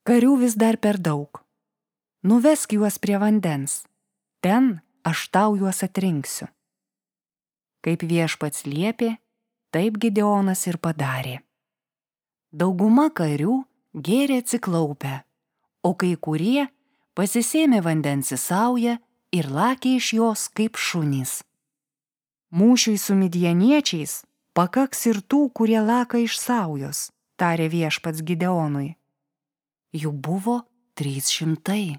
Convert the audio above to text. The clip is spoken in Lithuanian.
Karių vis dar per daug. Nuvesk juos prie vandens. Ten aš tau juos atrinksiu. Kaip viešpats liepė, taip Gideonas ir padarė. Dauguma karių gėrė atsiklaupę, o kai kurie pasisėmė vandens į saują ir lakė iš jos kaip šunys. Mūšiui su midjaniečiais pakaks ir tų, kurie laka iš saujos, tarė viešpats Gideonui. Jų buvo 300.